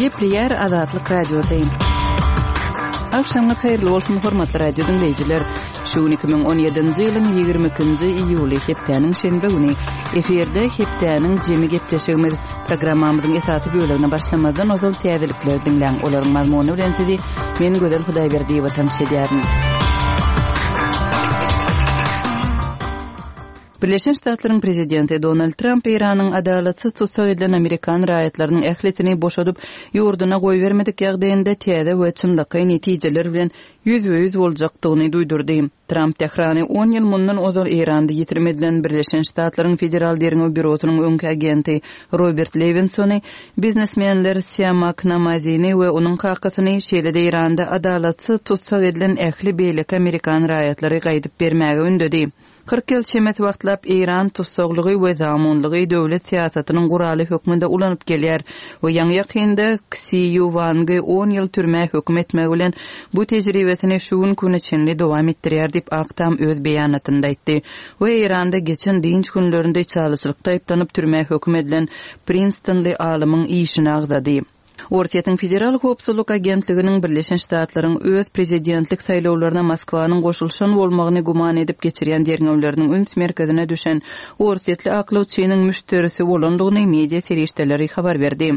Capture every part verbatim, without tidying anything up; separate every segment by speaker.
Speaker 1: Gepleýär Azatlyk Radiosy. Agşamyňyz haýyrly bolsun, hormatly radio diňleýjiler. Şu gün iki müň on ýedinji ýylyň ýigrimi ikinji iýuly, hepdäniň şenbe güni. Efirde hepdäniň jemi gepleşigimiz. Programmamyzyň esasy bölegine başlamazdan ozal täzelikleri diňläň. Olaryň mazmuny bilen sizi men Gözel Hudaýberdiýewa tanyş edýärin. Birleşen Ştatlaryň prezidenti Donald Tramp Eýranyň adalatsyz tussag edilen amerikan raýatlarynyň ählisini boşadyp, ýurduna goýbermedik ýagdaýynda täze we çynlakaý netijeler bilen ýüzbe-ýüz boljakdygyny duýdurdy. Tramp Tährany on ýyl mundan ozal Eýranda ýitirim edilen Birleşen Ştatlaryň Federal Derňew Býurosynyň öňki agenti Robert Lewinsony, biznesmenler Siamak Namazini we onuň kakasyny, şeýle-de Eýranda adalatsyz tussag edilen ähli beýleki amerikan raýatlary gaýdyp bermäge ündedi. Kyrk ýyl çemesi wagtlap Eýran tussaglygy we zamunlygy döwlet syýasatynyň guraly hökmünde ulanyp gelýär we ýaňy-ýakynda Ksi Ýu Wangy on ýyl türmä höküm etmegi bilen bu tejribesini şu gün güne çenli dowam etdirýär diýip Ak Tam öz beýanatynda aýtdy we Eýranda geçen dynç günlerinde içalyçylykda aýyplanyp türmä höküm edilen Prinstonly alymyň işini agzady. Orsýetiň Federal Howpsuzlyk Agentliginiň Birleşen Ştatlaryň öz prezidentlik saýlawlaryna Moskwanyň goşulyşan bolmagyny güman edip geçirýän derňewleriniň üns merkezine düşen orsýetli aklawçynyň müşderisi bolandygyny media serişdeleri habar berdi.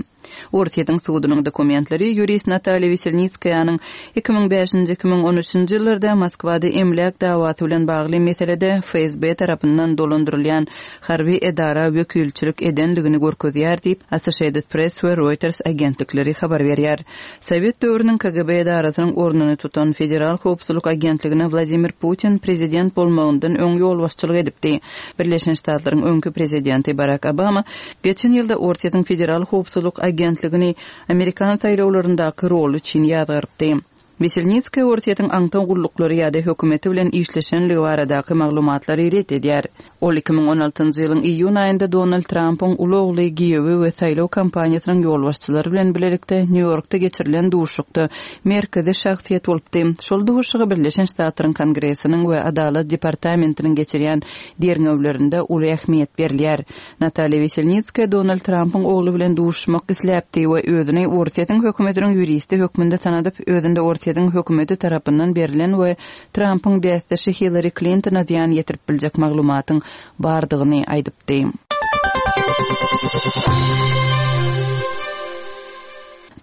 Speaker 1: Orsýetiň sudunyň dokumentleri ýurist Natalýa Weselnitskaýanyň iki müň bäşinji, iki müň on üçünji ýyllarda Moskwada emläk dawasy bilen bagly meselede F S B tarapyndan dolandyrylýan harby edara wekilçilik edendigini görkezýär diýip Associated Press we Reuters agentlikleri habar berýär. Sowet döwrüniň K G B edarasynyň ornuny tutan Federal Howpsuzlyk Agentligine Wladimir Putin prezident bolmagyndan öň ýolbaşçylyk edipdi. Birleşen Ştatlaryň öňki prezidenti Barack Obama geçen ýylda Orsýetiň Federal Howpsuzlyk Agentligini Amerikan saýlawlaryndaky roly üçin ýazgarypdy. Weselnitskaya Orsýetiň aňtaw gulluklary ýa-da hökümeti bilen işleşenligi baradaky maglumatlary ret edýär. Ol iki müň on altynjy ýylyň iýun aýynda Donald Trumpyň uly ogly giýewi we saýlaw kampaniýasynyň ýolbaşçylary bilen bilelikde Nýu-Ýorkda geçirilen duşuşykda merkezi şahsyýet bolupdy. Şol duşuşyga Birleşen Ştatlaryň Kongresiniň we Adalat Departamentiniň geçirýän derňewlerinde uly ähmiýet berilýär. Natalýa Weselnitskaya Donald Trumpyň ogly bilen duşuşmak isläpdi we özüni Orsýetiň hökümetiniň ýuristi hökmünde tanadyp, özünde Orsýetiň hökümeti tarapyndan berlen we Trumpyň bäsdeşi Hillary Clintona zyýan ýetirip biljek maglumatyň bardygyny aýdypdy.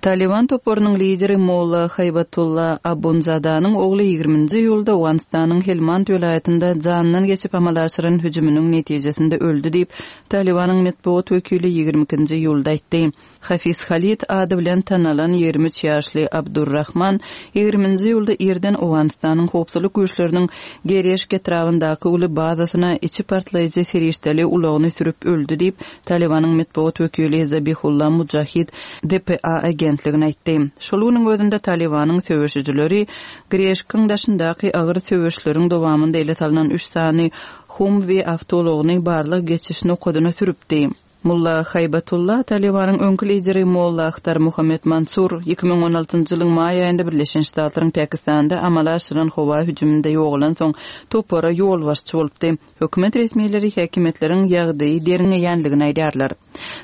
Speaker 1: Taliban toparynyň lideri Molla Haýbatullah Abunzadanyň ogly ýigriminji iýulda Owganystanyň Helmand welaýatynda jandan geçip amala aşyran hüjüminiň netijesinde öldi diýip Talibanyň metbugat wekili ýigrimi ikinji iýulda aýtdy. Hafiz Halid ady bilen tanalan ýigrimi üç ýaşly Abdurrahman ýigriminji iýulda irden Owganystanyň howpsuzlyk güýçleriniň Gereşk etrabyndaky uly bazasyna içi partlaýjy serişdeli ulagyny sürüp öldi diýip Talibanyň metbugat wekili Zabihullah Mujahid D P A agentligine aýtdy. Şol günüň özünde Talibanyň söweşijileri Greşkiň daşyndaky agyr söweşleriň dowamynda ele salynan üç sany Humvee awtoulagyny barlyk geçiş nokadyna sürüpdi. Mulla Haýbatullah Talibanyň öňki lideri Molla Akhtar Muhammed Mansur iki müň on altynjy ýylyň maý aýynda Birleşen Ştatlaryň Pakistanda amala aşyran howa hüjüminde ýogalan soň topara ýolbaşçy bolupdy. Hökümet resmileri häkimiýetleriň ýagdaýy derňeýänligini aýdýarlar.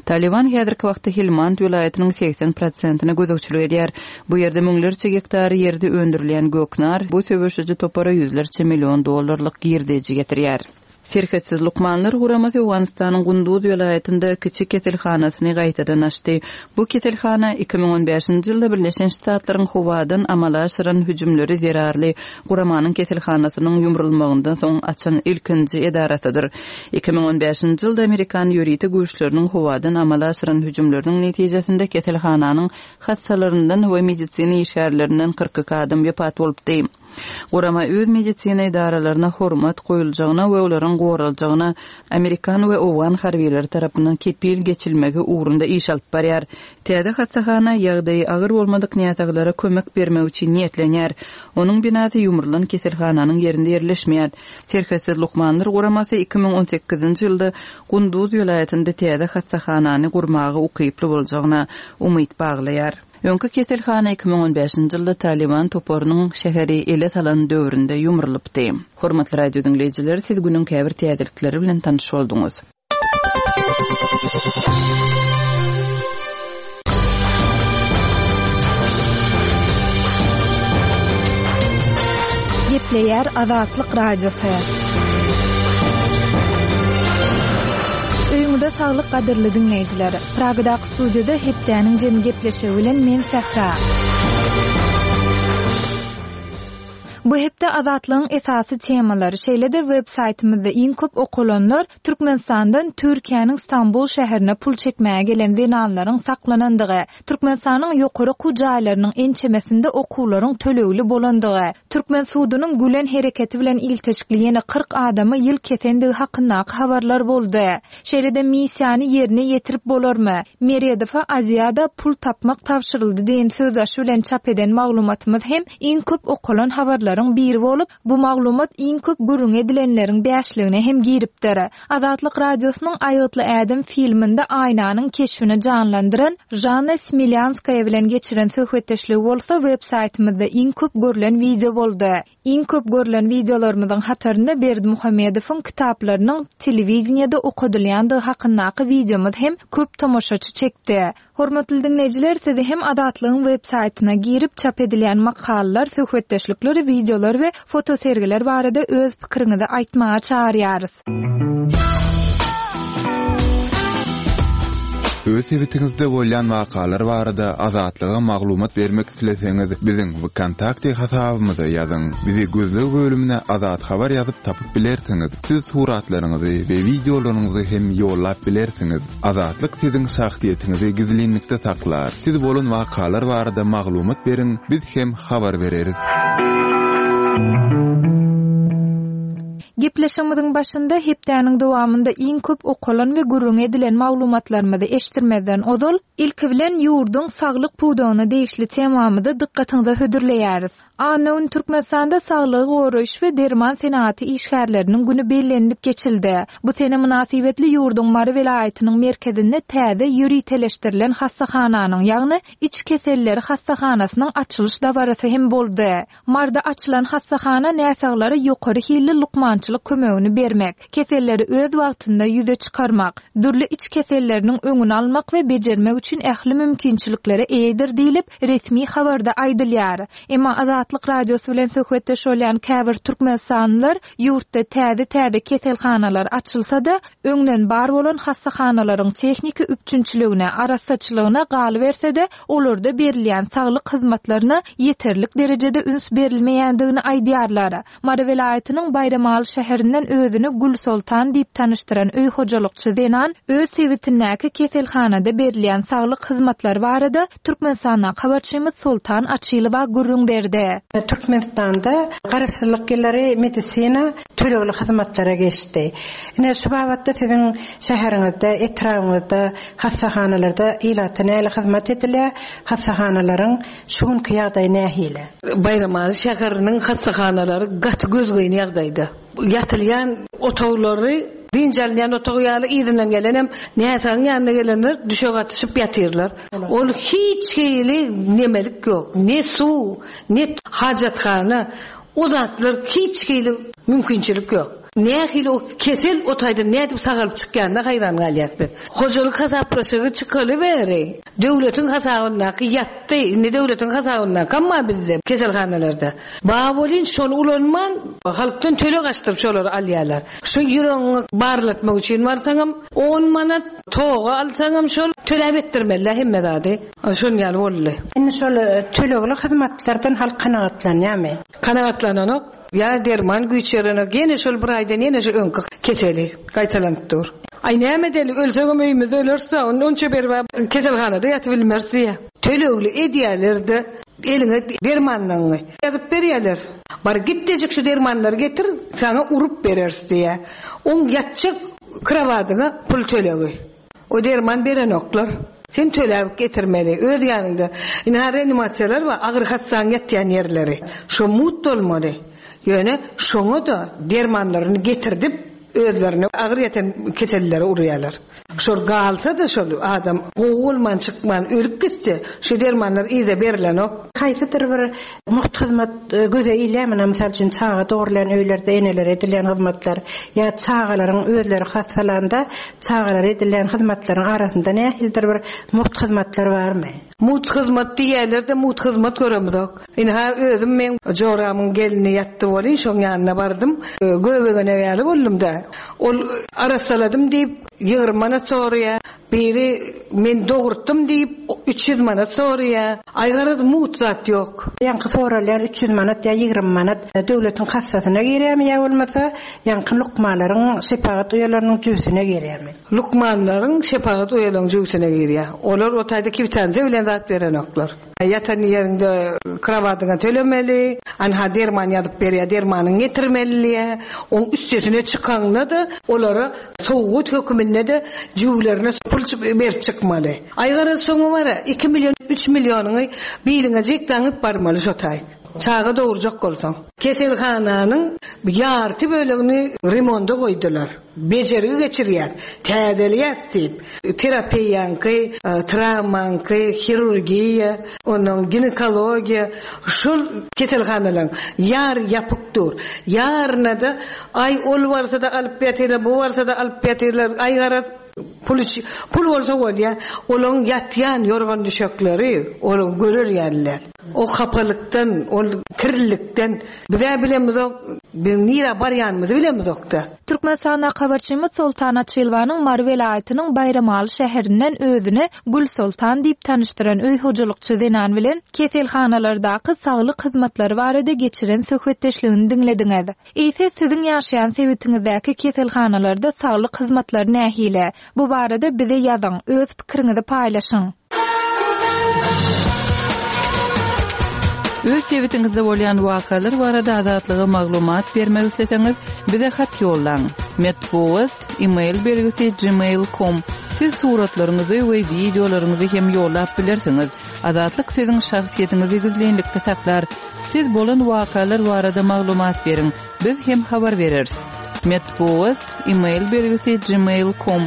Speaker 1: Taliban häzirki wagtda Helmand welaýatynyň seksen prosentine gözegçilik edýär. Bu ýerde müňlerçe gektar ýerde öndürilýän göknar bu söweşiji topara ýüzlerçe million dollarlyk girdeji getirýär. Serhetsiz lukmanlar guramasy Owganystanyň Gunduz welaýatynda kiçi keselhanasyny gaýtadan açdy. Bu keselhana iki müň on bäşinji ýylda Birleşen Ştatlaryň howadan amala aşyran hüjümleri zerarly guramanyň keselhanasynyň ýumrulmagyndan soň açan ilkinji edarasydyr. Iki müň on bäşinji ýylda Amerikan ýörite güýçleriniň howadan amala aşyran hüjümleriniň netijesinde keselhananyň hassalaryndan we medisina işgärlerinden kyrk iki adam wepat bolupdy. Gurama öz medisina edaralaryna hormat goýuljagyna we olaryň goraljagyna Amerikan we Owgan harbiýlary tarapyndan kepil geçilmegi ugrunda iş alyp barýar. Täze hassahana ýagdaýy agyr bolmadyk näsaglara kömek bermek üçin niýetlenýär. Onuň binasy ýumrulan keselhananyň ýerinde ýerleşmeýär. Serhetsiz lukmanlar guramasy iki müň on sekizinji ýylda Gunduz welaýatynda täze hassahanany gurmaga ukyply boljagyna umyt baglaýar. Öňki keselhana iki müň on bäşinji ýylda Taliban toparynyň şäheri ele salan döwründe ýumrulypdy. Hormatly radio diňleýjiler, siz günüň käbir täzelikleri bilen tanyş bolduňyz.
Speaker 2: Gepleýär Azatlyk Radiosy. Öýüňize saglyk gadyrly diňleýjiler. Pragadaky studiýada hepdäniň jemi gepleşigi bilen men Sähra. Bu hepde Azatlygyň esasy temalary, şeýle-de web saýtymyzda iň köp okalanlar Türkmenistandan Türkiýäniň Stambul şäherine pul çekmäge gelen zenanlaryň saklanandygy, Türkmenistanyň ýokary okuw jaýlarynyň ençemesinde okuwlaryň tölegli bolandygy, Türkmen sudunyň Gülen hereketi bilen ilteşikli ýene kyrk adama ýyl kesendigi hakyndaky habarlar boldy. Şeýle-de missiýany ýerine ýetirip bolarmy? Meredowa Aziada pul tapmak tabşyryldy diýen sözbaşy bilen çap eden maglumatymyz hem iň köp okalan habarlaryň biri bolup, bu maglumat iň köp gürrüň edilenleriň bäşligine hem giripdir. Azatlyk Radiosynyň Aýgytly ädim filminde Aýnanyň keşbini janlandyran Žanna Smilýanskaýa bilen geçiren söhbetdeşligi bolsa web saýtymyzda iň köp görlen wideo boldy. Iň köp görlen wideolarymyzyň hatarynda Berdimuhamedowyň kitaplarynyň telewideniýede okadylýandygy hakyndaky wideomyz hem köp tomaşaçy çekdi. Hormatly diňleýjiler, sizi hem Azatlygyň web saýtyna girip çap edilýän makalalar, söhbetdeşlikler, wideolar we fotosergiler barada öz pikiriňizi aýtmaga çagyrýarys.
Speaker 3: Öz sebitiňizde bolýan wakalar barada Azatlyga maglumat bermek isleseňiz, biziň VKontakte hasabymyza ýazyň. Bizi gözleg bölümine Azat Habar ýazyp tapyp bilersiňiz. Siz suratlaryňyzy we wideolaryňyzy hem ýollap bilersiňiz. Azatlyk siziň şahsyýetiňizi gizlinlikde saklar. Siz bolan wakalar barada maglumat beriň, biz hem habar bereris.
Speaker 2: Gepleşigimiziň başynda hepdäniň dowamynda iň köp okalan we gürrüň edilen maglumatlarymyzy eşitdirmezden ozal, ilki bilen ýurduň saglyk pudagyna degişli temamyzy dykgatyňyza hödürleýäris. Anna gün Türkmenistanda saglygy goraýyş we derman senagaty işgärleriniň güni bellenilip geçildi. Bu sene mynasybetli ýurduň Mary welaýatynyň merkezinde täze ýöriteleşdirilen hassahananyň, ýagny iç keselleri hassahanasynyň açylyş dabarasy hem boldy. Marda açylan hassahana näsaglara ýokary hilli lukmançylyk kömegini bermek, keselleri öz wagtynda ýüze çykarmak, dürli iç keselleriniň öňüni almak we bejermek üçin ähli mümkinçiliklere eýedir diýlip resmi habarda aýdylýar. Emma Azatlyk Radiosy bilen söhbetdeş bolýan käbir türkmenistanlylar ýurtda täze-täze keselhanalar açylsa-da, öňden bar bolan hassahanalaryň tehniki üpjünçiligine, arassaçylygyna galyberse-de, olarda berilýän saglyk hyzmatlaryna ýeterlik derejede üns berilmeýändigini aýdýarlar. Mary welaýatynyň Baýramaly şäherinden özüni Gülsoltan diýip tanyşdyran öý hojalykçy zenan öz sebitindäki keselhanada berilýän saglyk hyzmatlary barada Türkmenistandaky habarçymyz Soltan Açylowa gürrüň berdi.
Speaker 4: Türkmenistanda garaşsyzlyk ýyllary medisina tölegli hyzmatlara geçdi. Ine şu babatda siziň şäheriňizde, etrabyňyzda, hassahanalarda ilata näle hyzmat edilýär? Hassahanalaryň şu günki ýagdaýy nähili?
Speaker 5: Baýramaly şäheriniň hassahanalary gaty gözgyny ýagdaýda. Ýatylýan otaglary, dynç alynýan otag ýaly yzyndan gelenem näsagyň ýanyna gelenler düşek atyşyp ýatyrlar. Ol hiç hili nemelik ýok. Ne suw, ne hajathana, o zatlar hiç hili mümkinçilik ýok. Nähili o kesel o taýdan nädip sagalyp çykýanyna haýran galýas biz. Hojalyk hasaplaşygy çykaly bäri döwletiň hasabyndaky ýatdy, indi döwletiň hasabyndaky amma bizde keselhanalarda. Ba bolin şony ulanman halkdan töleg açdyryp şolary alýarlar. Şu ýüregiňi barlatmak üçin barsaňam on manat toga alsaňam şol töläp etdirmeli hemme zady. Şon ýaly boldy.
Speaker 4: Indi şol tölegli hyzmatlardan halk kanagatlanýarmy?
Speaker 5: Kanagatlananok. Ýa derman güýç berenok, ýene şol bir aýdan ýene şu öňki keseli gaýtalanyp dur. Aý näme edeli, ölsegem öýümizde ölerse, onça berip keselhanada ýatyp bilmeris diýe. Tölegli edýärler-de eliňe dermanlaryňy ýazyp berýärler. Bar gitdejik şu dermanlary getir, sana urup bereris diýe. Oň ýatjak krowadyňa pul tölegi. O derman berenoklar. Sen töläp getirmeli, öz ýanyňda. Ine reanimasiýalar bar, agyr hassaň ýatýan ýerleri. Şo mut bolmaly. Ýöne şoňa da dermanlaryny getirdip özlerine agyr ýatan keselleri urýarlar. Şol galsa-da şol adam gowy bolman çykman ölüp gitse, şu dermanlar yza berilenok.
Speaker 4: Haýsydyr bir mugt hyzmat göze ilýärmi? Mysal üçin, çaga dogurlan öýlerde enelere edilýän hyzmatlar ýa çagalaryň özleri hassalanda çagalara edilýän hyzmatlaryň arasynda nähilidir bir mugt hyzmatlar barmy?
Speaker 5: Mugt hyzmat diýerler-de mugt hyzmat göremizok. Ynha özüm men joramyň gelini ýatdy welin şoň ýanyna bardym. Göbegene ýaly boldum-da. Ol arassaladym diýip ýigrimi manat soraýar. Biri men dogurtdum diýip üç ýüz manat soraýar. Aý garaz mugt zat ýok.
Speaker 4: Ýaňky soralýan üç ýüz manat ýa ýigrimi manat döwletiň kassasyna girýärmi ýa bolmasa ýaňky lukmanlaryň şepagat uýalarynyň jübüsine girýärmi?
Speaker 5: Lukmanlaryň şepagat uýalarynyň jübüsine girýär. Olar o taýda kwitansiýa bilen zat berenoklar. Ýatan ýerinde krowadyňa tölemeli, anha derman ýazyp berýär, dermanyny getirmeli diýär. Oň üstesine çykanda-da olara sowgat höküminde-de jübülerine pul berip çykmaly. Aý garaz şoňa bara iki million, üç millionyňy biliňe jek daňyp barmaly şo taýyk. Çaga dogurjak bolsaň. Keselhananyň ýarty bölegini remonda goýdular. Bejergi geçirýär, täzeleýär diýip. Terapiýaňky, travmaňky, hirurgiýa, onuň ginekologiýa, şol keselhanalaryň ýar ýapyk dur. Ýaryna-da aý ol barsa-da alyp ýatyrlar, bu barsa-da alyp ýatyrlar. Aý garaz pul pul bolsa bolýar. Olaryň ýatýan ýorgan düşekleri, olaryň görer ýerler. O hapalykdan, ol kirlilikden bize bilemizok, biz nirä barýanymyzy bilemizok-da.
Speaker 2: Türkmenistanda habarçymyz Soltan Açylwanyň Mary welaýatynyň Baýramaly şäherinden özüni Gül Soltan diýip tanyşdyran öý hojalykçy zenan bilen keselhanalardaky saglyk hyzmatlary barada geçiren söhbetdeşligini diňlediňiz. Eýse siziň ýaşaýan sebitiňizdäki keselhanalarda saglyk hyzmatlary nähili? Bu barada bize ýazyň, öz pikiriňizi paýlaşyň.
Speaker 1: Öz sebitiňizde bolýan wakalar barada Azatlyga maglumat bermek isleseňiz, bize hat ýollaň. Metbugat, e-mail belgisi gmail nokta com. Siz suratlaryňyzy we wideolaryňyzy hem ýollap bilersiňiz. Azatlyk siziň şahsyýetiňizi gizlinlikde saklar. Siz bolan wakalar barada maglumat beriň. Biz hem habar bereris. Metbugat, e-mail belgisi gmail nokta com.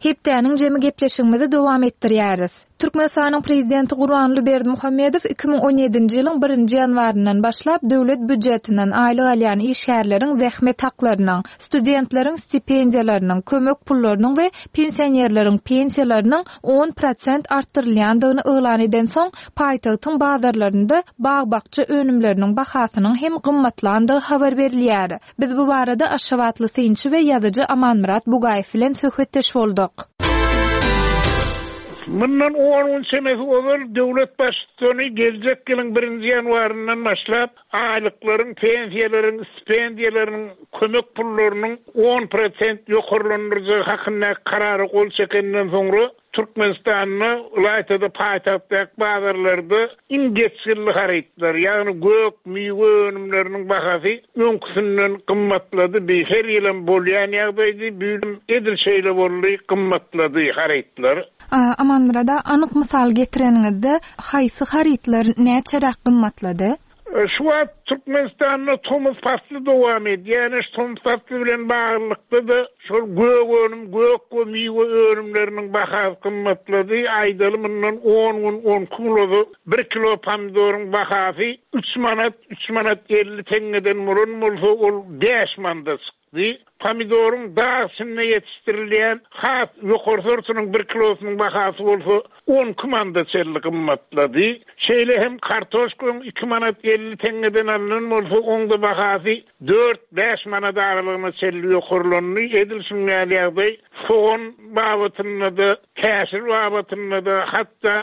Speaker 2: Hepdäniň jemi gepleşigimizi dowam etdirýäris. Türkmenistanyň prezidenti Gurbanguly Berdimuhamedow iki müň on ýedinji ýylyň birinji ýanwaryndan başlap döwlet býujetinden aýlyk alýan işgärleriň zähmet haklarynyň, studentleriň stipendiýalarynyň, kömek pullarynyň we pensionerleriň pensiýalarynyň on prosent artdyrylýandygyny yglan edensoň, paýtagtyň bazarlarynda bag-bakja önümleriniň bahasynyň hem gymmatlandygy habar berilýär. Biz bu barada Aşgabatly synçy we ýazyjy Amanmyrat Bugaýew bilen söhbetdeş bolduk.
Speaker 6: Mundan on gün çemesi ozal döwlet baştutany geljek ýylyň birinji ýanwaryndan başlap aýlyklaryň, pensiýalaryň, stipendiýalaryň, kömek pullarynyň on prosent ýokarlandyrjagy hakyndaky karara gol çekenden soňra Türkmenistanda ylaýtada paýtagtdaky bazarlarda iň geçginli harytlar, ýagny gök, miwe önümleriniň bahasy öňküsinden gymmatlady. Bir her ýylam bolýan ýagdaýdy, bu ýyl edil şeýle boldy, gymmatlady harytlar.
Speaker 2: A, Amanmyrada anyk mysal getireniňizde haýsy harytlar näçeräk gymmatlady?
Speaker 6: E, şu wagt Türkmenistanda tomus pasly dowam edýär. Ýani şu tomus pasly bilen baglylykda-da şol gök önüm, gök we miwe önümleriniň bahasy gymmatlady. Aýdaly mundan on gün, on iki gün ozal bir kilo pomidoryň bahasy üç manat, üç manat elli teňňeden bolan bolsa, ol bäş manada çykdy. Pomidoryň dağ içinde ýetişdirilýän has ýokary sortunyň bir kilosynyň bahasy bolsa on iki manada çenli gymmatlady. Şeýle hem kartoşkanyň iki manat elli teňňeden alynan bolsa, oň da bahasy dört bäş manat aralygyna çenli ýokarlandy. Edil şuň ýaly ýagdaý sogan babatynda-da, käşir babatynda-da, hatda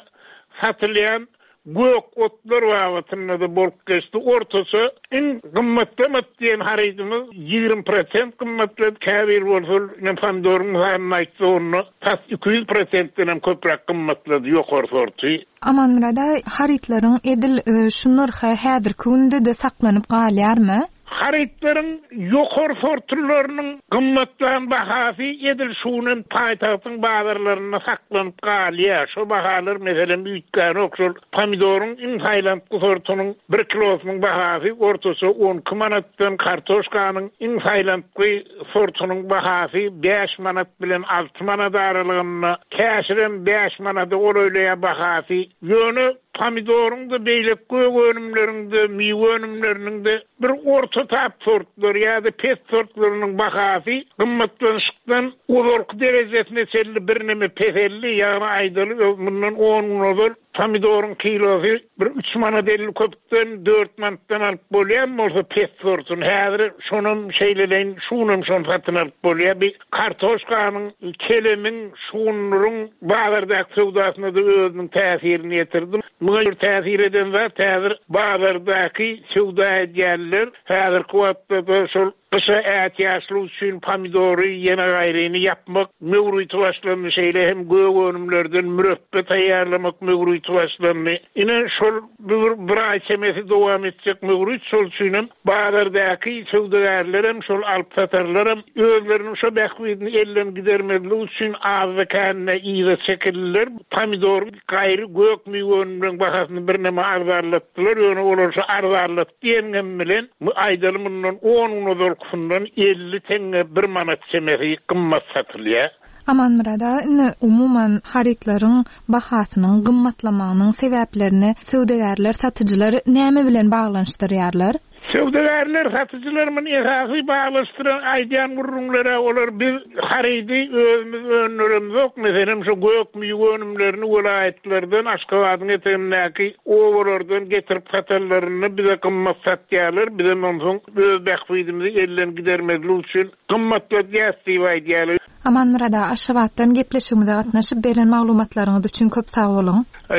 Speaker 6: satylýan gök otlar babatynda-da bolup geçdi. Ortaça iň gymmatlamat diýen harydymyz ýigrimi prosent gymmatlady. Käbir bolsa, men pomidoryň mysalyny aýtsa, onda tas iki ýüz prosentden hem köpräk gymmatlady ýokary sorty.
Speaker 2: Amanmyrada harytlaryň edil, e, şu nyrhy häzirki günde-de saklanyp galýarmy?
Speaker 6: Harytlaryň ýokary sortlarynyň gymmatlan bahasy edil şunuň paýtagtyň bazarlarynda saklanyp galýar. Şo bahalar meselem üýtgänok. Şol pomidoryň iň saýlantgy sortunyň bir kilosynyň bahasy ortaça on iki manatdan, kartoşkanyň iň saýlantgy sortunyň bahasy bäş manat bilen alty manat aralygynda, käşirem bäş manada golaýlaýar bahasy. Ýöne pomidoryň da beýleki gök önümleriň de miwe önümleriniň de bir orta tap sortlary ýa-da pes sortlarynyň bahasy gymmatlanyşykdan ozalky derejesine çenli birneme peseldi. Ýagny aýdaly mundan on gün ozal pomidoryň kilosy bir üç manat elli köpden dört manatdan alyp bolýan bolsa pes sortuny häzir şonam şeýleleýin şunam şon satyn alyp bolýar. Bir kartoşkanyň, kelemiň, şunduryň bazardaky söwdasyna da özüniň täsirini ýetirdi. Muňa bir täsir eden zat häzir bazardaky söwda edýänler häzirki wagtda da şol gyşa ätiýaçlyk üçin pomidory ýene gaýryny ýapmak möwriti başlandy. Şeýle hem gök önümlerden mürepbe taýýarlamak möwriti başlandy. Ine şol bir, bir aý çemesi dowam etjek möwrit, şol üçin hem bazardaky söwdagärler hem şol alyp satarlar hem özleriniň şo bähbidini elden gidermezlik üçin azda kände yza çekildiler. Pomidor gaýry gök miwe önümleriniň bahasyny birneme arzanlatdylar. Ýöne olar şo arzanlat diýengem bilen aýdaly mundan on gün ozalkysyndan elli teňňe bir manat çemesi gymmat satylýar.
Speaker 2: Amanmyrat aga, indi umuman harytlaryň bahasynyň gymmatlamagynyň sebäplerini söwdagärler, satyjylar näme bilen baglanyşdyrýarlar?
Speaker 6: Söwdagärler, satyjylar muny esasy baglanyşdyran aýdýan gürrüňlere olar biz harydy özümiz öndüremzok. Meselem şu gök miwe önümlerini welaýatlardan, Aşgabadyň etegindäki obalardan getirip satanlarynda bize gymmat satýarlar. Bizem onsoň öz bähbidimizi elden gidermezlik üçin gymmatladýas diýip aýdýarlar.
Speaker 2: Amanmyrat aga, Aşgabatdan gepleşigimize gatnaşyp beren maglumatlaryňyz üçin köp sag boluň.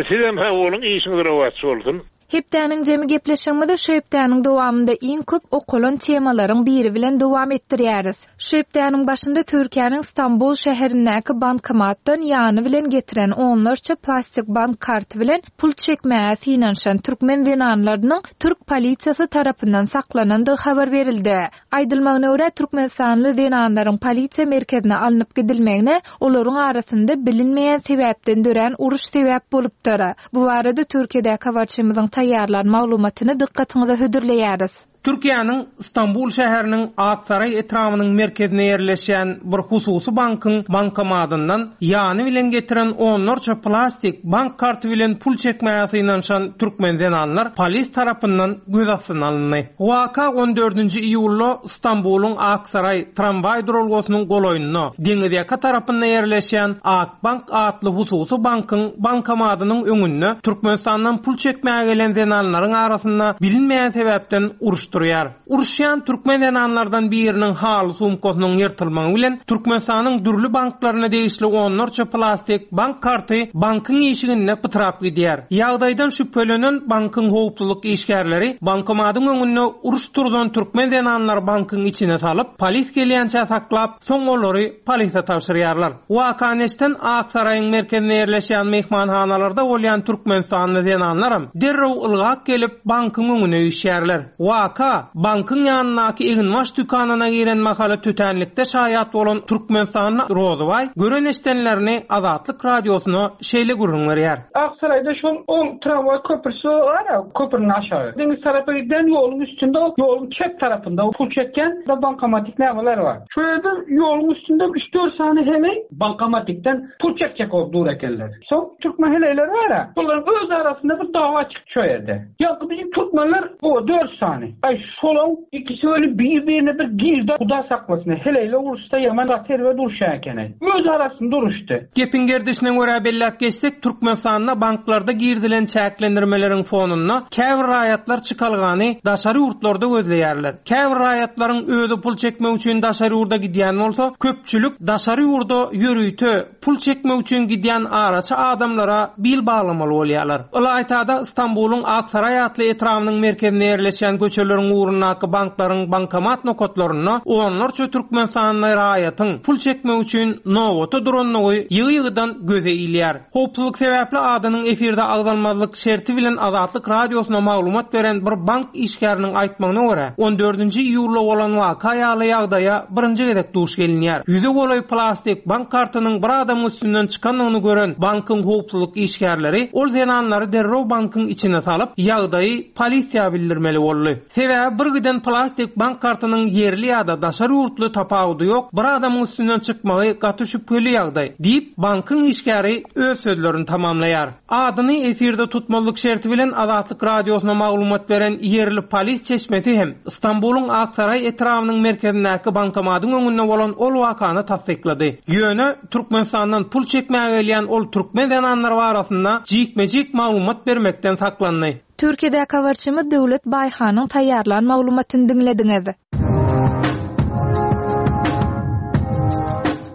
Speaker 6: Sizem sag boluň, işiňiz rowaç bolsun.
Speaker 2: Hepdäniň jemi gepleşigimizi şu hepdäniň dowamynda iň köp okalan temalaryň biri bilen dowam etdirýäris. Şu hepdäniň başynda Türkiýäniň Stambul şäherindäki bankomatdan ýany bilen getiren onlarça plastik bank karty bilen pul çekmäge synanyşan türkmen zenanlarynyň türk polisiýasy tarapyndan saklanandygy habar berildi. Aýdylmagyna görä Türkmenistanly zenanlaryň polisiýa merkezine alnyp gidilmegine olaryň arasynda bilinmeýän sebäpden dörän uruş sebäp bolupdyr. Bu barada Türkiýedäki habarçymyzyň taýýarlan maglumatyny dykgatyňyza hödürleýäris.
Speaker 7: Türkiýäniň Stambul şäheriniň Aksaray etrabynyň merkezine ýerleşen bir hususy bankyň bankomatyndan ýany bilen getiren onlarça plastik bank karty bilen pul çekmäge synanyşan türkmen zenanlar polis tarapyndan göz astyna alyndy. Waka on dördünji iýulda Stambulyň Aksaray tramwaý duralgasynyň golaýynda deňiz ýaka tarapynda ýerleşen Akbank atly hususy bankyň bankomatynyň öňünde Türkmenistandan pul çekmäge gelen zenanlaryň arasynda bilinmeýän sebäpden uruş durýar. Uruşýan türkmen zenanlardan biriniň haly sumkasynyň ýyrtylmagy bilen Türkmenistanyň dürli banklaryna degişli onlarça plastik bank karty bankyň işiginde pytrap gidýär. Ýagdaýdan şübhelenen bankyň howpsuzlyk işgärleri bankomatyň öňünde uruş turzan türkmen zenanlary bankyň içine salyp, polis gelýänçä saklap, soň olary polise tabşyrýarlar. Wakaneşden Aksaraýyň merkezinde ýerleşen mehmanhanalarda bolýan Türkmenistanly zenanlaram derrew ylgap gelip bankyň öňüne üýşýärler. Waka bankyň ýanyndaky eginbaş dükanyna giren mahaly tütänlikde şaýat bolan Türkmenistanly Rozybaý gören eşdenlerini Azatlyk radiosyna şeýle gürrüň berýär.
Speaker 8: Aksarayda şol ol tramway köprüsü var ya, köprünün aşağı. Deniz tarafa giden yolun üstünde, yolun çep tarafında pul çeken de bankamatik nemeler var. Şöyle bir yolun üstünde üç dört tane hele bankamatikten pul çekecek oldu dur ekenler. Son Türkmen heleyleri var ya, bunların öz arasında bir dava çıktı şu yerde. Ya bizim Türkmenler o dört tane. Ay şolon ikisi öyle birbirine bir girdi. Huda saklasın. Heleyle urusta yaman ater ve duruşa ekene. Öz arasında uruştu.
Speaker 7: Gepin gerdişine göre bellap geçsek, Türkmenistan'da banklarda girdilen çäklendirmelerin fonunda käbir raýatlar çykalgany daşary ýurtlarda gözleýärler. Käbir raýatlaryň özi pul çekmek üçin daşary ýurda gidýän bolsa, köpçülik daşary ýurda ýörite pul pul çekmek üçin gidýän araçy adamlara bil baglamaly bolýarlar. Ylaýtada Stambulyň Aksaray atly etrabynyň merkezinde ýerleşýän köçeleriň ugrundaky banklaryň bankomat nokatlarynda onlarça Türkmenistanly raýatyň pul çekmek üçin nobata durandygy ýygy-ýygydan göze ilýär. Howpsuzlyk sebäpli adynyň efirde agzalmazlyk şerti bilen Azatlyk Radiosyna maglumat beren bir bank işgäriniň aýtmagyna görä, on dördünji iýulda bolan waka ýaly ýagdaýa birinji gezek duş gelinýär. Ýüze golaý plastik bank kartynyň bir adamyň üstünden çykandygyny gören bankyň howpsuzlyk işgärleri ol zenanlary derrew bankyň içine salyp, ýagdaýy polisiýa bildirmeli boldy. Sebäbi bir giden plastik bank kartynyň ýerli ýa-da daşary ýurtly tapawudy ýok, bir adamyň üstünden çykmagy gaty şübheli ýagdaý diýip, bankyň işgäri öz sözlerini tamamlaýar. Adyny efirde tutmalyk şerti bilen Azatlyk Radiosyna maglumat beren ýerli polis çeşmesi hem Stambulyň Aksaray etrabynyň merkezindäki bankomatyň öňünde bolan ol wakany tassyklady. Ýöne Türkmenistandan pul çekmäge gelýän ol türkmen zenanlar barasynda jikme-jik maglumat bermekden saklandy.
Speaker 2: Türkiýedäki habarçymyz Döwlet Baýhanyň taýýarlan maglumatyny diňlediňiz.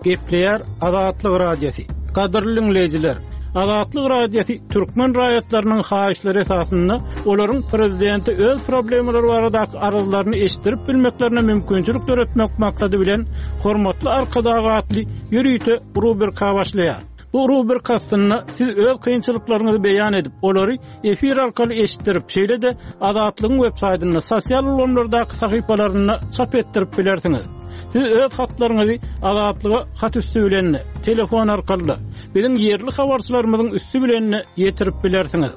Speaker 9: Gepleýär Azatlyk Radiosy. Gadyrly dinleýjiler, Azatlyk Radiosy türkmen raýatlarynyň haýyşlary esasynda olaryň prezidenti öz problemalary baradaky arzlaryny eşitdirip bilmeklerine mümkinçilik döretmek maksady bilen Hormatly Arkadag atly ýörite rubrika başlaýar. Bu rubrika aslynda siz öz kynçylyklaryňyzy beýan edip, olary efir arkaly eşitdirip, şeýle-de Azatlygyň web saýtynda, sosial ulgamlardaky sahypalarynda çap etdirip bilersiňiz. Siz öz hatlaryňyzy Azatlyga hat üstü bilen, telefon arkaly, biziň ýerli habarçylarymyzyň üstü bilen ýetirip bilersiňiz.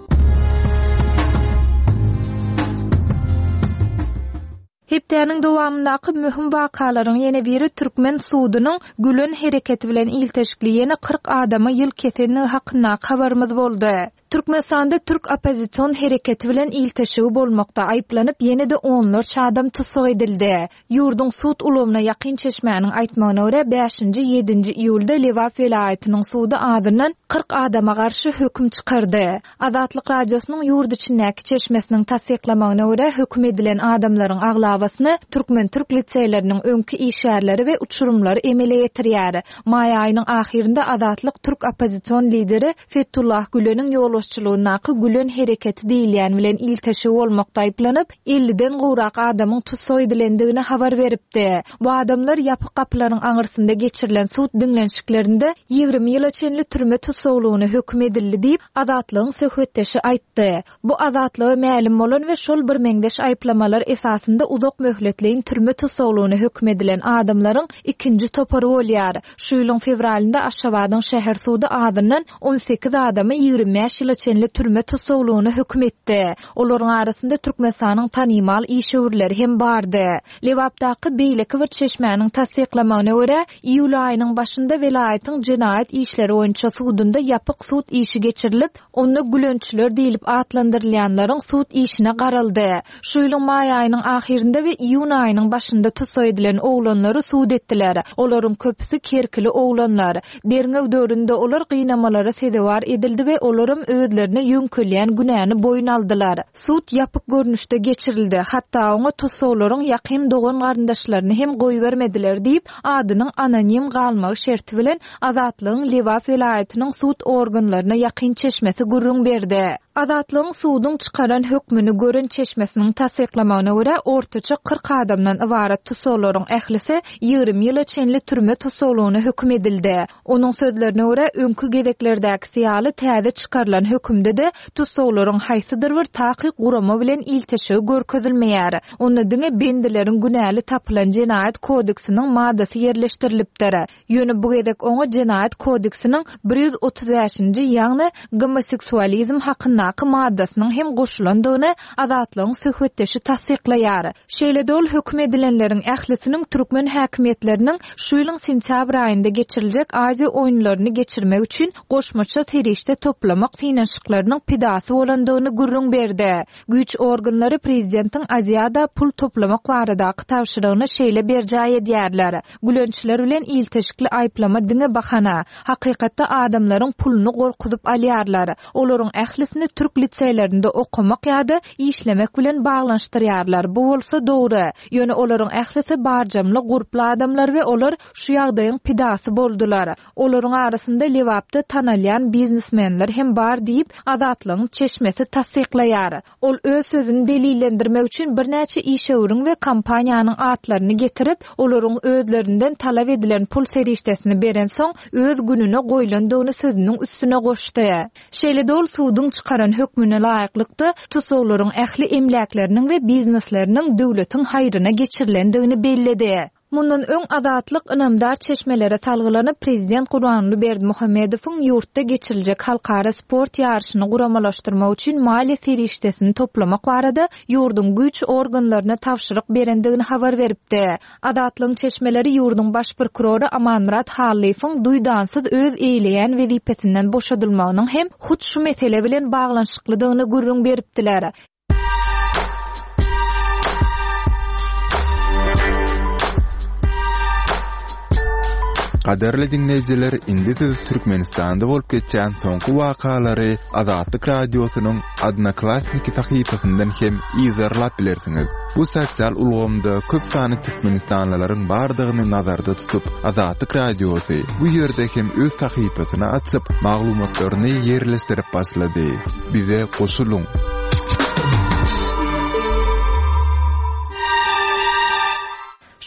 Speaker 2: Hepdäniň dowamyndaky möhüm wakalaryň ýene biri Türkmen sudunyň Gülen hereketi bilen ilteşikli ýene kyrk adama ýyl kesenligi hakyndaky habarymyz boldy. Türkmenistanda Türk oppozision hereketi bilen ilteşigi bolmakda aýyplanyp ýene-de onlarça adam tussag edildi. Ýurduň sud ulgamyna ýakyn çeşmäniň aýtmagyna görä bäşinji ýedinji iýulda Lebap welaýatynyň sudy adyndan kyrk adama garşy höküm çykardy. Azatlyk Radiosynyň ýurt içindäki çeşmesiniň tassyklamagyna görä höküm edilen adamlaryň aglabasyny Türkmen-Türk liseýleriniň öňki işgärleri we uçurumlary emele getirýär. Maý aýynyň ahyrynda Azatlyk Türk oppozision lideri Fethullah Güleniň ýolbaşçylygyndaky Gülen hereketi diýilýän bilen ilteşigi bolmakda aýyplanyp, elliden gowrak adamyň tussag edilendigini habar beripdi. Bu adamlar ýapyk gapylaryň aňyrsynda geçirilen sud diňlenişiklerinde ýigrimi ýyla çenli türme tussaglygyna höküm edildi diýip, Azatlygyň söhbetdeşi aýtdy. Bu Azatlyga mälim bolan we şol bir meňzeş aýyplamalar esasynda uzak möhletleýin türme tussaglygyna höküm edilen adamlaryň ikinji topary bolýar. Şu ýylyň fewralynda Aşgabadyň şäher sudy adyndan on sekiz adamy ýigrimi bäş ýyla çenli türme tussaglygyna höküm etdi. Olaryň arasynda Türkmenistanyň tanymal işewürleri hem bardy. Lebapdaky beýleki bir çeşmäniň tassyklamagyna görä, iýul aýynyň başynda welaýatyň jenaýat işleri boýunça sudunda ýapyk sud işi geçirilip, onda gülençiler diýilip atlandyrylýanlaryň sud işine garaldy. Şu ýylyň maý aýynyň ahyrynda we iýun aýynyň başynda tussag edilen oglanlary sud etdiler. Olaryň köpüsi kerkili oglanlar. Derňew döwründe olar gynamalara sezewar edildi we olaram özlerine ýöňkelýän günäni boýun aldylar. Sud ýapyk görnüşde geçirildi. Hatda oňa tussaglaryň ýakyn dogan garyndaşlaryny hem goýbermediler diýip, adynyň anonim galmagy şerti bilen Azatlygyň Lebap welaýatynyň sud organlaryna ýakyn çeşmesi gürrüň berdi. Azatlygyň suduň çykaran hökmüni gören çeşmesiniň tassyklamagyna görä, ortaça kyrk adamdan ybarat tussaglaryň ählisi ýigrimi ýyla çenli türme tussaglygyna höküm edildi. Onuň sözlerine görä, öňki gezeklerdäki ýaly täze çykarylan hökümde-de tussaglaryň haýsydyr bir takyk gurama bilen ilteşigi görkezilmeýär. Onda diňe bendileriň günäli tapylan jenaýat kodeksiniň maddasy ýerleşdirilipdir. Ýöne bu gezek oňa jenaýat kodeksiniň bir ýüz otuz bäşinji, ýagny gomoseksualizm hakyndaky maddasynyň hem goşulandygyny Azatlygyň söhbetdeşi tassyklaýar. Şeýle-de ol höküm edilenleriň ählisiniň türkmen häkimiýetleriniň şu ýylyň sentýabr aýynda geçiriljek Aziýa oýunlaryny geçirmek üçin goşmaça serişde toplamak synanyşyklarynyň pidasy bolandygyny gürrüň berdi. Güýç organlary prezidentiň Aziýada pul toplamak baradaky tabşyrygyny şeýle berjaý edýärler. Gülençiler bilen ilteşikli aýyplama diňe bahana. Hakykatda adamlaryň puluny gorkuzyp alýarlar. Olaryň ählisini türk liseýlerinde okamak ýa-da işlemek bilen baglanyşdyrýarlar. Bu bolsa dogry. Ýöne olaryň ählisi barjamly, gurply adamlar we olar şu ýagdaýyň pidasy boldular. Olaryň arasynda Lebapda tanalýan biznesmenler hem bar diýip, Azatlygyň çeşmesi tassyklaýar. Ol öz sözüni delillendirmek üçin birnäçe işewüriň we kompaniýanyň atlaryny getirip, olaryň özlerinden talap edilen pul serişdesini berensoň, öz gününe goýlandygyny sözüniň üstüne goşdy. Şeýle-de ol suduň çykaran hökmüne laýyklykda, tussaglaryň ähli emläkleriniň we biznesleriniň döwletiň haýryna geçirilendigini belledi. Mundan öň Azatlyk ynamdar çeşmelere salgylanyp, prezident Gurbanguly Berdimuhamedowyň ýurtda geçiriljek halkara sport ýaryşyny guramalaşdyrmak üçin maliýe serişdesini toplamak barada ýurduň güýç organlaryna tabşyryk berendigini habar beripdi. Azatlygyň çeşmeleri ýurduň baş prokurory Amanmyrat Hallyýewiň duýdansyz öz eýleýän wezipesinden boşadylmagynyň hem hut şu mesele bilen baglanyşyklydygyny gürrüň beripdiler.
Speaker 3: Gadyrly diňleýjiler, indi siz Türkmenistanda bolup geçýän soňky wakalary Azatlyk Radiosynyň Odnoklassniki sahypasyndan hem yzarlap bilersiňiz. Bu sosial ulgamda köp sanly türkmenistanlylaryň bardygyny nazarda tutup, Azatlyk Radiosy bu ýerde hem öz sahypasyny açyp, maglumatlaryny ýerleşdirip başlady. Bize goşulyň!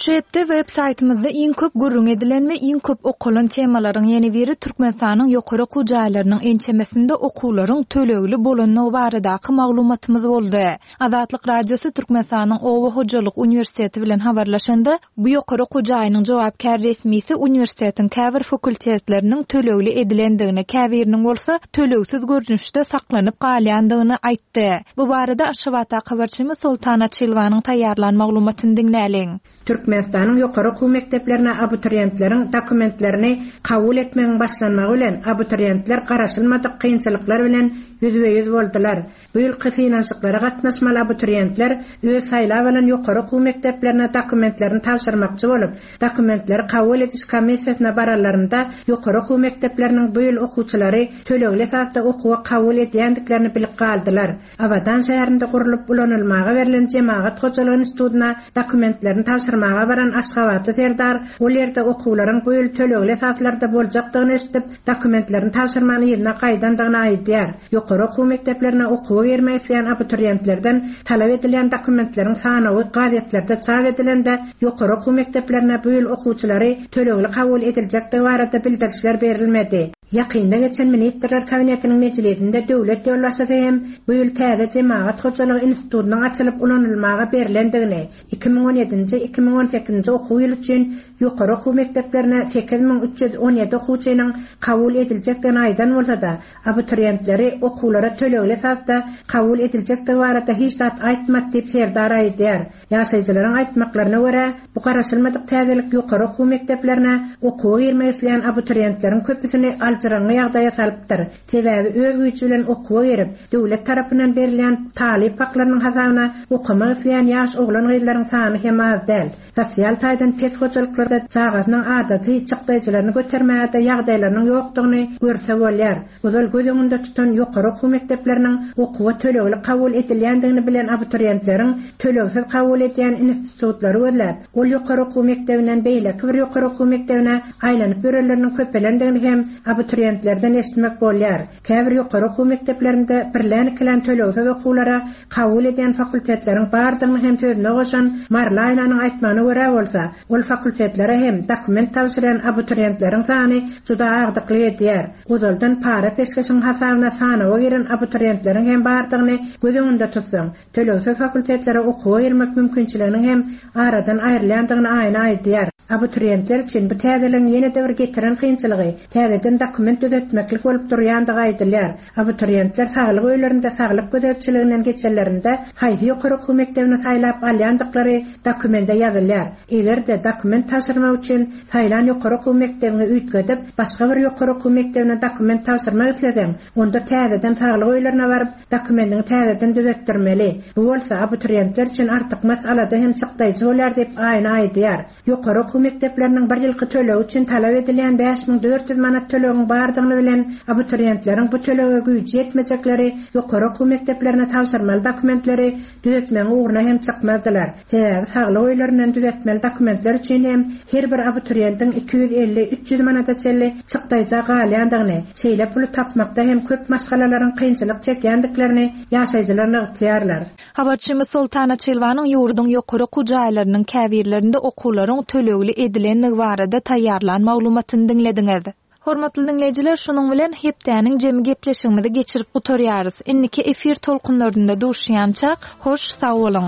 Speaker 2: Şu hepde web saýtymyzda iň köp gürrüň edilen we iň köp okalan temalaryň ýene biri Türkmenistanyň ýokary okuw jaýlarynyň ençemesinde okuwlaryň tölegli bolandygy baradaky maglumatymyz boldy. Azatlyk Radiosy Türkmenistanyň Oba hojalyk uniwersiteti bilen habarlaşanda, bu ýokary okuw jaýynyň jogapkär resmisi uniwersitetiň käbir fakultetleriniň tölegli edilendigini, käbiriniň bolsa tölegsiz görnüşde saklanyp galýandygyny aýtdy. Bu barada Aşgabatdaky habarçymyz Soltan Açylwanyň taýýarlan maglumatyny diňläliň.
Speaker 4: Türkmenistanyň ýokary okuw mekdeplerine abituriýentleriň dokumentlerini kabul etmegiň başlanmagy bilen abituriýentler garaşylmadyk kynçylyklar bilen ýüzbe-ýüz boldular. Bu ýylky synanyşyklara gatnaşmaly abituriýentler öz saýlap alan ýokary okuw mekdeplerine dokumentlerini tabşyrmakçy bolup, dokumentleri kabul ediş komissiýasyna baranlarynda ýokary okuw mekdepleriniň bu ýyl okuwçylary tölegli esasda okuwa kabul edýändiklerini bilip galdylar. Abadan şäherinde gurlup ulanylmaga berlen Jemagat hojalygy institutyna dokumentlerini tabşyrmaga baran Aşgabatly Serdar ol ýerde okuwlaryň bu ýyl tölegli esaslarda boljakdygyny eşidip, dokumentlerini tabşyrman yzyna gaýdandygyny aýdýar. Ýokary okuw mekdeplerine okuwa girmek isleýän abituriýentlerden talap edilýän dokumentleriň sanawy gazetlerde çap edilende, ýokary okuw mekdeplerine bu ýyl okuwçylary tölegli kabul ediljekdigi barada bildirişler berilmedi. Ýakynda geçen Ministrler Kabinetiniň mejlisinde döwlet ýolbaşçysy hem bu ýyl täze Jemagat hojalygy institutynyň açylyp ulanylmaga berlendigini, iki müň on ýedinji iki müň on sekizinji okuw ýyly üçin ýokary okuw mekdeplerine sekiz müň üç ýüz on ýedi okuwçynyň kabul ediljekdigini aýdan bolsa-da, abituriýentleri okuwlara tölegli esasda kabul ediljekdigi barada hiç zat aýtmady diýip Serdar aýdýar. Ýaşaýjylaryň aýtmaklaryna görä, bu garaşylmadyk täzelik ýokary okuw mekdeplerine okuwa girmek isleýän abituriýentleriň köpüsini aljyraňňy ýagdaýa salypdyr. Sebäbi öz güýji bilen okuwa girip, döwlet tarapyndan berilýän talyp haklarynyň hasabyna okamak isleýän ýaş oglan-gyzlaryň sany hem az däl. Sosial taýdan pes hojalyklarda çagasynyň adaty çykdaýjylaryny götermäge ýagdaýlarynyň ýokdugyny görse bolýar. Ozal göz öňünde tutan ýokary okuw mekdepleriniň okuwa tölegli kabul edilýändigini bilen abituriýentleriň tölegsiz kabul edýän institutlary gözläp, ol ýokary okuw mekdebinden beýleki bir ýokary okuw mekdebine aýlanyp ýörenleriniň köpelendigini hem abituriýentlerden eşitmek bolýar. Käbir ýokary okuw mekdeplerinde birlän-ikilän tölegsiz okuwlara kabul edýän fakultetleriň bardygyny hem sözüne goşan Marla Aýnanyň aýtmagyna görä bolsa, ol fakultetlere hem dokument tabşyran abituriýentleriň sany juda agdyklyk edýär. Ozaldan para peşgeşiň hasabyna sanawa giren abituriýentleriň hem bardygyny göz öňünde tutsaň, tölegsiz fakultetlere okuwa girmek mümkinçiliginiň hem aradan aýrylýandygyny aýna aýdýar. Abituriýentler üçin bu täzeligiň ýene-de bir getiren kynçylygy täzeden dokument düzetmeklik bolup durýandygy aýdylýar. Abituriýentler saglyk öýlerinde saglyk gözegçiliginden geçenlerinde haýsy ýokary okuw mekdebini saýlap alýandyklary dokumende ýazylýar. Eger-de dokument tabşyrmak üçin saýlan ýokary okuw mekdebini üýtgedip, başga bir ýokary okuw mekdebine dokument tabşyrmak isleseň, onda täzeden saglyk öýlerine baryp dokumentini täzeden düzetdirmeli. Bu bolsa abituriýentler üçin artykmaç alada hem çykdaýjy bolýar diýip aýna aýdýar. Ýokary okuw mekdepleriniň bir ýylky tölegi üçin talap edilýän bäş müň dört ýüz manat tölegiň bardygyny bilen abituriýentleriň bu tölege güýji ýetmejekleri ýokary okuw mekdeplerine tabşyrmaly dokumentleri düzetmegiň ugruna hem çykmazdylar. Sebäbi saglyk öýlerinden düzetmeli dokumentler üçin hem her bir abituriýentiň iki ýüz elli, üç ýüz manata çenli çykdaýja galýandygyny, şeýle puly tapmakda hem köp maşgalalaryň kynçylyk çekýändiklerini ýaşaýjylar nygtaýarlar.
Speaker 2: Habarçymyz Soltan Açylwanyň ýurduň ýokary okuw jaýlarynyň käbirlerinde okuwlaryň tölegli edilendigi barada taýýarlan maglumatyny diňlediňiz. Hormatly diňleýjiler, şunuň bilen hepdäniň jemi gepleşigimizi geçirip gutarýarys. Indiki efir tolkunlarynda duşýançak, hoş sag boluň.